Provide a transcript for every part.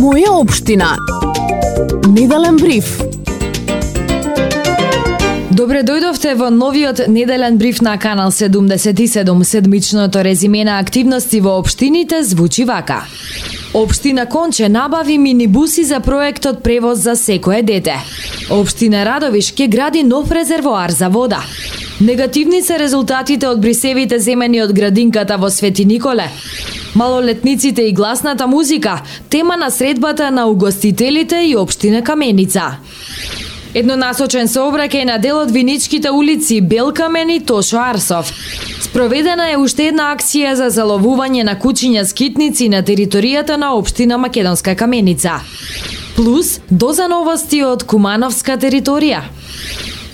Моја општина. Неделен бриф. Добре дојдовте во новиот неделен бриф на Канал 77. Седмичното резиме на активности во општините звучи вака. Општина Конче набави минибуси за проектот превоз за секое дете. Општина Радовиш ќе гради нов резервоар за вода. Негативни се резултатите од брисевите земени од градинката во Свети Николе. Малолетниците и гласната музика, тема на средбата на угостителите и општина Каменица. Еднонасочен сообраќај на дел од виничките улици Белкамен и Тошо Арсов. Спроведена е уште една акција за заловување на кучиња скитници на територијата на општина Македонска Каменица. Плюс доза новости од Кумановска територија.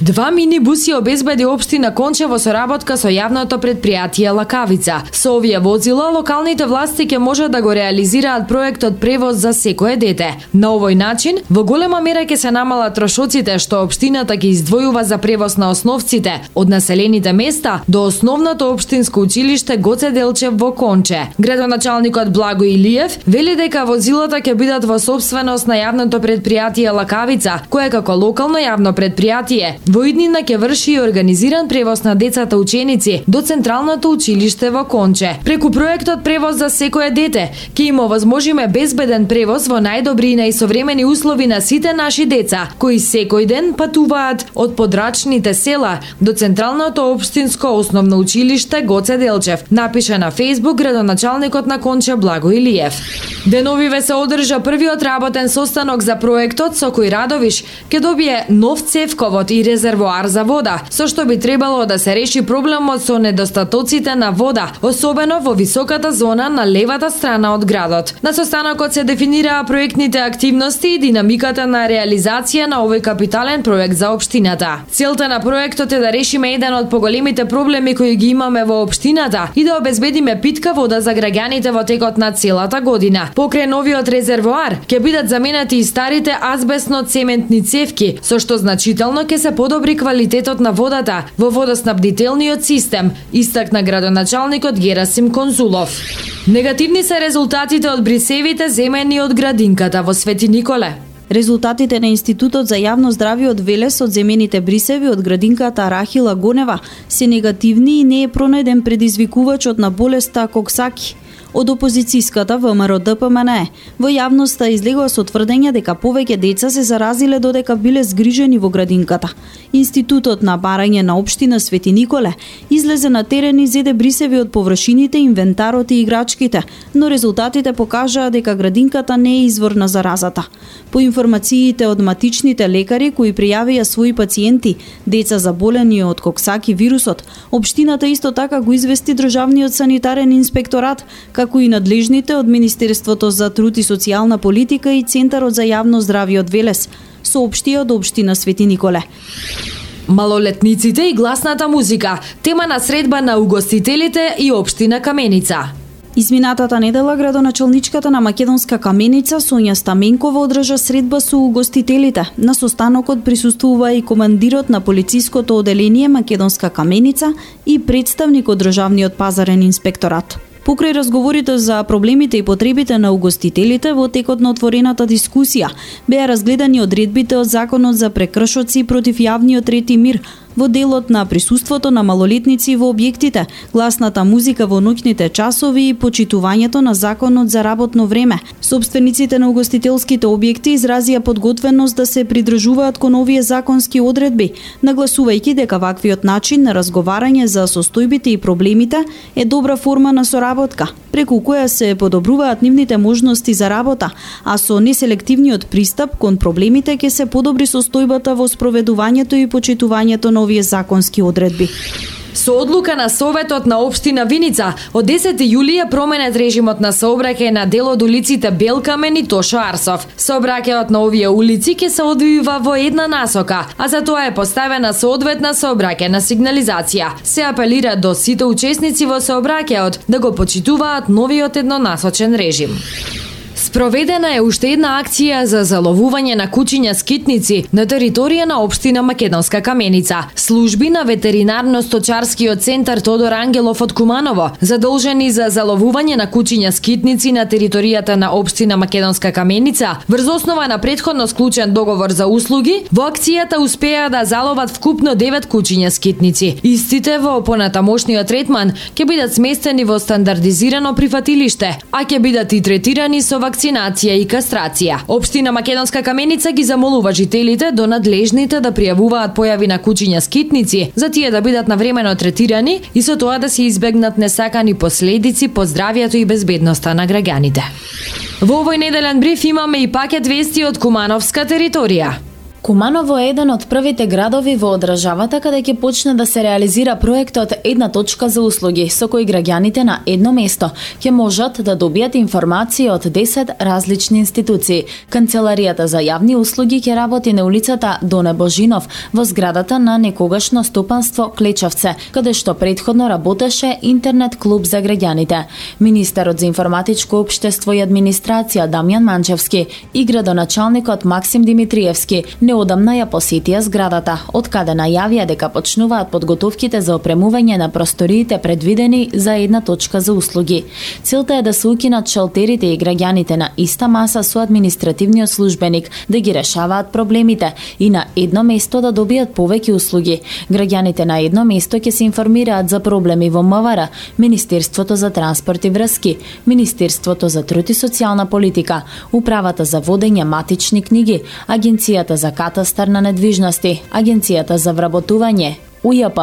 2 минибуси обезбеди општина Конче во соработка со јавното претпријатие Лакавица. Со овие возила локалните власти ќе можат да го реализираат проектот превоз за секое дете. На овој начин, во голема мера ќе се намалат трошоците што општината ќе издвојува за превоз на основците од населените места до основното општинско училиште Гоце Делчев во Конче. Градоначалникот Благо Илиев вели дека возилата ќе бидат во сопственост на јавното претпријатие Лакавица, кое како локално јавно претпријатие во иднина ќе врши и организиран превоз на децата ученици до Централното училиште во Конче. Преку проектот превоз за секое дете ќе им овозможиме безбеден превоз во најдобри и најсовремени услови на сите наши деца, кои секој ден патуваат од подрачните села до Централното општинско основно училиште Гоце Делчев, напиша на Facebook градоначалникот на Конче Благо Илиев. Деновиве се одржа првиот работен состанок за проектот со кој Радовиш ќе добие нов цевковод и резервоар за вода, со што би требало да се реши проблемот со недостатоците на вода, особено во високата зона на левата страна од градот. На состанокот се дефинираа проектните активности и динамиката на реализација на овој капитален проект за општината. Целта на проектот е да решиме еден од поголемите проблеми кои ги имаме во општината и да обезбедиме питка вода за граѓаните во текот на целата година. Покрај новиот резервоар ќе бидат заменети и старите азбестно-цементни цевки, со што значително ќе се подобри квалитетот на водата во водоснабдителниот систем, истакна градоначалникот Герасим Конзулов. Негативни се резултатите од брисевите земени од градинката во Свети Николе. Резултатите на Институтот за јавно здравје од Велес од земените брисеви од градинката Рахила Гонева се негативни и не е пронајден предизвикувачот на болеста Коксаки. Од опозицијската ВМРО ДПМН во јавноста излегува со тврдење дека повеќе деца се заразиле додека биле згрижени во градинката. Институтот на барање на општина Свети Николе излезе на терен и зеде брисеви од површините, инвентарот и играчките, но резултатите покажаа дека градинката не е извор на заразата. По информациите од матичните лекари кои пријавија своји пациенти, деца заболени од Коксаки вирусот, општината исто така го извести државниот санитарен инспекторат, како и надлежните од Министерството за труд и социјална политика и Центарот за јавно здравје од Велес, соопштија од општина Свети Николе. Малолетниците и гласната музика, тема на средба на угостителите и општина Каменица. Изминатата недела градоначалничката на Македонска Каменица Сонја Стаменкова одржа средба со угостителите. На состанокот присуствува и командирот на полициското оделение Македонска Каменица и представник од државниот пазарен инспекторат. Покрај разговорите за проблемите и потребите на угостителите во текот на отворената дискусија беа разгледани одредбите од Законот за прекршоци против јавниот ред и мир, во делот на присуството на малолетници во објектите, гласната музика во ноќните часови и почитувањето на Законот за работно време. Собствениците на угостителските објекти изразија подготвеност да се придржуваат кон овие законски одредби, нагласувајќи дека ваквиот начин на разговарање за состојбите и проблемите е добра форма на соработка, преку која се подобруваат нивните можности за работа, а со неселективниот пристап кон проблемите ќе се подобри состојбата во спроведувањето и почитувањето на овие законски одредби. Со одлука на Советот на општина Виница, од 10 јули е променет режимот на сообраќај на дел од улиците Белкамен и Тошо Арсов. Сообраќајот на овие улици ќе се одвива во една насока, а за тоа е поставена соодветна сообраќајна сигнализација. Се апелира до сите учесници во сообраќајот да го почитуваат новиот еднонасочен режим. Спроведена е уште една акција за заловување на кучиња скитници на територија на општина Македонска Каменица. Служби на ветеринарно-сточарскиот центар Тодор Ангелов од Куманово, задолжени за заловување на кучиња скитници на територијата на општина Македонска Каменица, врз основа на претходно склучен договор за услуги, во акцијата успеа да заловат вкупно 9 кучиња скитници. Истите во понатамошниот третман ќе бидат сместени во стандардизирано прифатилиште, а ќе бидат и третирани со вакцинација и кастрација. Општина Македонска Каменица ги замолува жителите до надлежните да пријавуваат појави на кучиња скитници, за тие да бидат навремено третирани и со тоа да се избегнат несакани последици по здравјето и безбедноста на граѓаните. Во овој неделен бриф имаме и пакет вести од кумановска територија. Куманово е еден од првите градови во државата каде ќе почне да се реализира проектот Една точка за услуги, со кој граѓаните на едно место ќе можат да добијат информации од 10 различни институции. Канцеларијата за јавни услуги ќе работи на улицата Доне Божинов во зградата на некогашно стопанство Клечевце, каде што претходно работеше интернет клуб за граѓаните. Министерот за информатичко општество и администрација Дамјан Манчевски и градоначалникот Максим Димитриевски неодамна ја посетија зградата, од каде најавија дека почнуваат подготовките за опремување на просториите предвидени за една точка за услуги. Целта е да се укинат шалтерите и граѓаните на иста маса со административниот службеник, да ги решаваат проблемите и на едно место да добијат повеќе услуги. Граѓаните на едно место ќе се информираат за проблеми во МВР, Министерството за транспорт и врски, Министерството за труд и социјална политика, Управата за водење матични книги, Агенцијата за катастар на недвижности, Агенцијата за вработување, УЈП,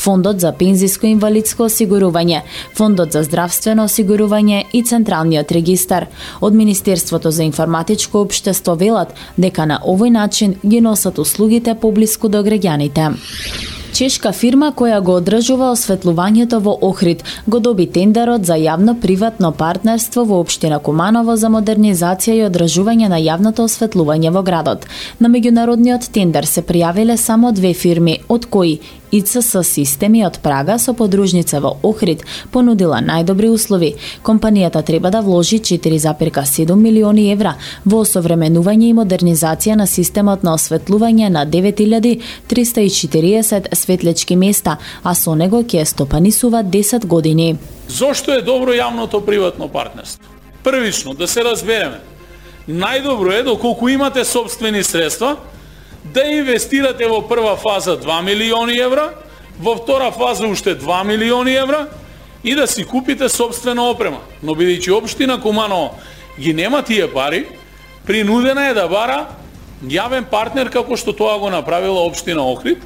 Фондот за пензиско и инвалидско осигурување, Фондот за здравствено осигурување и Централниот регистар. Од Министерството за информатичко општество велат дека на овој начин ги носат услугите поблиску до граѓаните. Чешка фирма која го одржува осветлувањето во Охрид го доби тендерот за јавно-приватно партнерство во општина Куманово за модернизација и одржување на јавното осветлување во градот. На меѓународниот тендер се пријавиле само 2 фирми, од кои ИЦС Системи од Прага со подружница во Охрид понудила најдобри услови. Компанијата треба да вложи 4,7 милиони евра во осовременување и модернизација на системот на осветлување на 9340 светлечки места, а со него ќе стопанисува 10 години. Зошто е добро јавното приватно партнерство? Првично, да се разбереме. Најдобро е доколку имате сопствени средства, да инвестирате во прва фаза 2 милиони евра, во втора фаза уште 2 милиони евра и да си купите сопствена опрема. Но бидејќи општина Куманово ги нема тие пари, принудена е да бара јавен партнер како што тоа го направила општина Охрид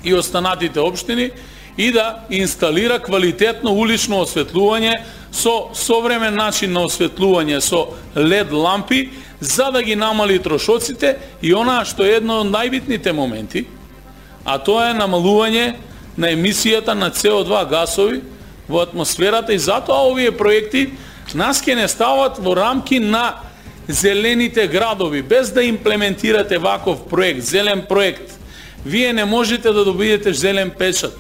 и останатите општини и да инсталира квалитетно улично осветлување со современ начин на осветлување со LED лампи, за да ги намали трошоците и онаа што е едно од најбитните моменти, а тоа е намалување на емисијата на CO2 гасови во атмосферата, и затоа овие проекти нас ќе не стават во рамки на зелените градови. Без да имплементирате ваков проект, зелен проект, вие не можете да добиете зелен печат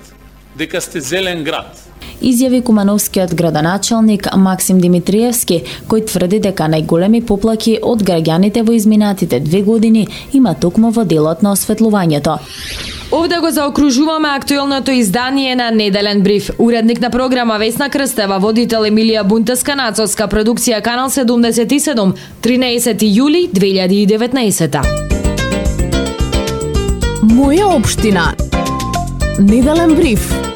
дека сте зелен град. Изјави кумановскиот градоначалник Максим Димитриевски, кој тврди дека најголеми поплаки од граѓаните во изминатите 2 години има токму во делот на осветлувањето. Овде го заокружуваме актуелното издание на Неделен бриф. Уредник на програма Весна Крстева, водител Емилија Бунтеска, нацолска продукција Канал 77, 13 јули 2019. Моја општина. Неделен бриф.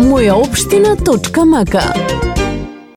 Мојаопштина.мк